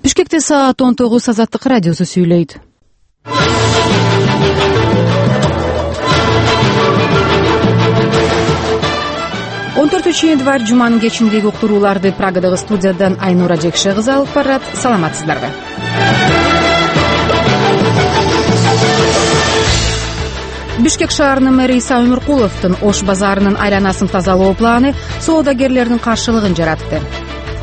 Бишкекте саат 19 Азаттык радиосу сүйлөйт. Январь жуманын кечиндеги уктурууларды Прагадагы студиядан Айнура Жекше кызы алып барат. Саламатсыздарбы? Бишкек шаарынын мэри Иса Өмүркуловдун Ош базарынын айланасын тазалоо планы соодагерлердин каршылыгын жаратты.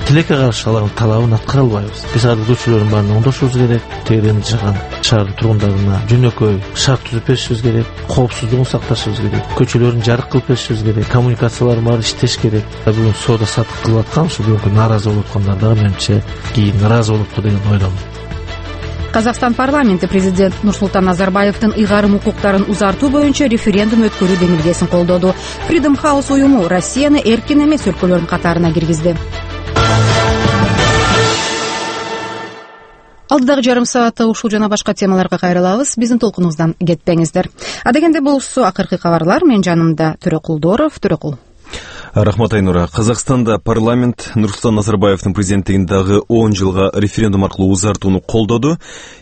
Тилекке каршы алардын талабын аткара албайбыз. Биз ардагычылардын баарына оңдошубуз керек. Тегерен жыган шаардын тургундарына жөнөкөй шарт түзүп беришибиз керек. Коопсуздугун сакташыбыз керек. Көчөлөрүн жарык кылып беришибиз керек. Коммуникациялар баары иштеш керек. Бүгүн соода сатык кылып аткан ушу бүгүнкү нааразы болуп аткандар дагы менимче кийин нааразы болуптур деген ойлойм. Казакстан парламенти президент Нурсултан Назарбаевдин ыйгарым укуктарын узартуу боюнча референдум өткөрүү демилгесин колдоду. Freedom House уюму Россияны эркин эмес өлкөлөрдүн катарына киргизди. Алдыдагы жарым саатта ушул жана башка темаларга кайрылабыз. Биздин толкунубуздан кетпеңиздер. Адегенде болсо акыркы кабарлар. Мен жанымда Төрөкулдоров. Төрөкул. Рахмат, Айнура. Казакстанда парламент Нурсултан Назарбаевдин президенттигиндагы 10 жылга референдум аркылуу узартууну колдоду.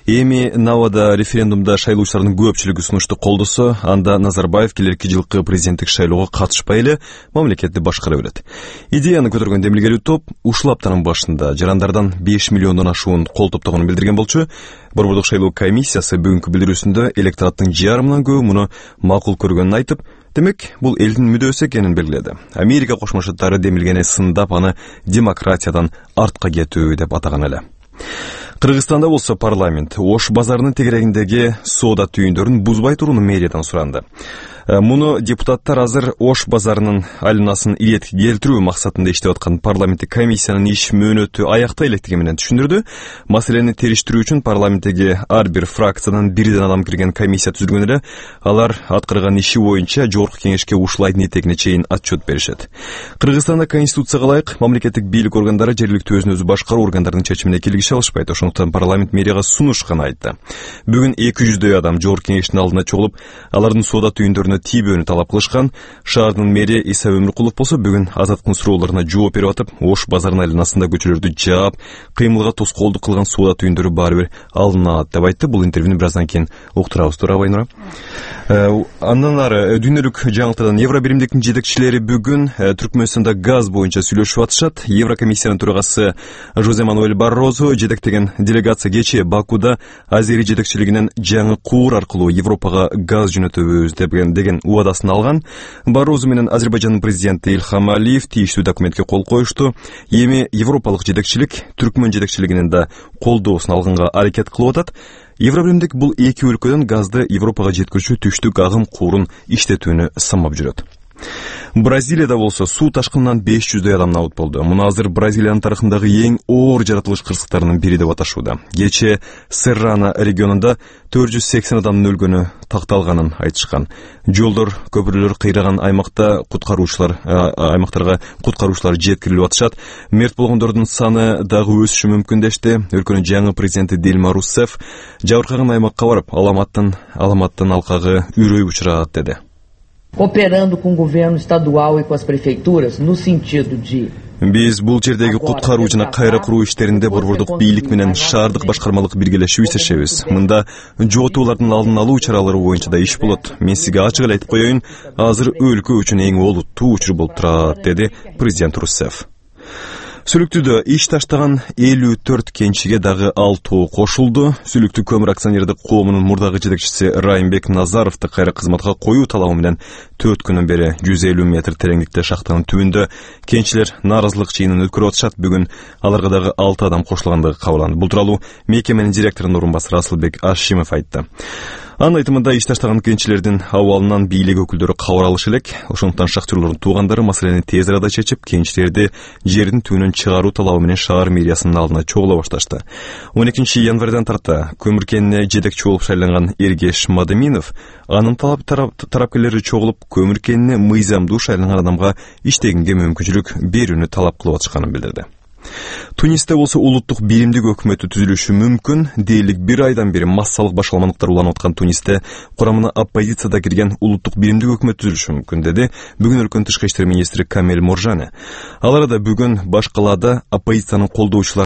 Эми Навада референдумда шайлоочулардын көпчүлүгү сунушту колдосо, анда Назарбаев келерки жылкы президенттик шайлоого катышпай эле мамлекетти башкара берет. Идеяны көтөргөн демилгелүү топ ушул аптанын башында жарандардан 5 миллиондон ашуун кол топтогонун билдирген болчу. Борбордук шайлоо комиссиясы бүгүнкү билдирүүсүндө электораттын жарымынан көбү муну макул көргөнүн айтып, демек, бул элдин мүдөөсү экенин белгиледи. Америка Кошмо Штаттары демилгени сындап, аны демократиядан артка кетүү деп атаган эле. Кыргызстанда болсо парламент Ош базарынын тегерегиндеги соода түйүндөрүн бузбай турууну мэриядан суранды. Муну депутаттар азыр Ош базарынын айланасын иретке келтирүү максатында иштеп аткан парламенттик комиссиянын иш мөөнөтү аякта электиги менен түшүндүрдү. Маселени териштирүү үчүн парламенттеги ар бир фракциядан бирден адам кирген комиссия түзүлгөн эле. Алар аткарган иши боюнча жогорку кеңешке ушул айдын этегине чейин отчет беришет. Кыргызстанда конституцияга ылайык мамлекеттик бийлик органдары жергиликтүү өзүн өзү башкаруу органдарынын чечимине килгише алышпайт. Ошондуктан парламент мэрияга сунуш гана айтты. Бүгүн 200дөй адам жогорку кеңештин алдына чогулуп, алардын соода түйүндөрүнө тийбөөнү талап кылышкан. Шаардын мэри Иса Өмүркулов болсо бүгүн азаттыктын суроолоруна жооп берип атып, Ош базарынын айланасында көчөлөрдү жаап, кыймылга тоскоолдук кылган соода түйүндөрү баары бир алынат деп айтты. Бул интервьюну бир аздан кийин уктурабыз. Туурабы, Айнура? Андан ары дүйнөлүк жаңылыктардан Евробиримдиктин жетекчилери бүгүн Түркмөнстанда газ боюнча сүйлөшүп атышат. Еврокомиссиянын төрагасы Жозе Мануэль Баррозу жетектеген делегация кечээ Бакуда Азери жетекчилигинен жаңы куур аркылуу Европага газ жөнөтөбүз деген убадасын алган. Баррозу менен Азербайжандын президенти Ильхам Алиев тийиштүү документке кол коюшту. Эми европалык жетекчилик Түркмөн жетекчилигинин да колдоосун алганга аракет кылып атат. Евробиримдик бул эки өлкөдөн газды Европага жеткирүүчү түштүк агым куурун иштетүүнү самап жүрөт. Бразилияда болсо суу ташкынынан 500дөй адам набыт болду. Муну азыр Бразилиянын тарыхындагы эң оор жаратылыш кырсыктарынын бири деп аташууда. Кечээ Серрана регионунда 480 адамдын өлгөнү такталганын айтышкан. Жолдор, көпүрөлөр кыйраган аймактарга куткаруучулар жеткирилип атышат. Мерт болгондордун саны дагы өсүшү мүмкүн дешти. Өлкөнүн жаңы президенти Дилма Руссефф жабыркаган аймакка барып, аламаттын алкагы үрөй учурат деди. Cooperando com o governo estadual e com as prefeituras no sentido de Биз бул жердеги куткаруу жана кайра куруу иштеринде борбордук бийлик менен шаардык башкармалык биргелешип иштешебиз. Мында жоготуулардын алдын алуу чаралары боюнча да иш болот. Мен сизге ачык эле айтып коеюн, азыр өлкө үчүн эң олуттуу учур болуп турат, деди президент Руссефф. Сүлүктүдө иш таштаган 54 кенчиге дагы 6 кошулду. Сүлүктү көмүр акционердик коомунун мурдагы жетекчиси Райымбек Назаровду кайра кызматка коюу талабы менен 4 күнөн бери 150 метр тереңдикте шахтанын түбүндө кенчилер нааразылык чыйынын өткөрүп атышат. Бүгүн аларга дагы 6 адам кошулгандыгы кабарланды. Бул тууралуу мекеменин директорунун орун басары Асылбек Ашимов айтты. Анын айтымында иш таштаган кенчилердин абалынан бийлик өкүлдөрү кабар алышы элек. Ошондуктан шахтерлордун туугандары маселени тез арада чечип, кенчилерди жердин түбүнөн чыгаруу талабы менен шаар мэриясынын алдына чогула башташты. 12 январдан тарта көмүр кенине жетекчи болуп шайланган Эргеш Мадыминов анын тарапкерлери чогулуп көмүр кенине мыйзамдуу шайланган адамга иштегенге мүмкүнчүлүк берүүнү талап кылып атышканын билдирди. Тунисте болсо улуттук биримдик өкмөтү түзүлүшү мүмкүн. Дээрлик 1 айдан бери массалык башаламандыктар уланып аткан Тунисте курамына оппозицияда кирген улуттук биримдик өкмөт түзүлүшү мүмкүн, деди бүгүн өлкөнүн тышкы иштер министри Камел Моржане. Ал арада бүгүн баш калаада оппозициянын колдоочулары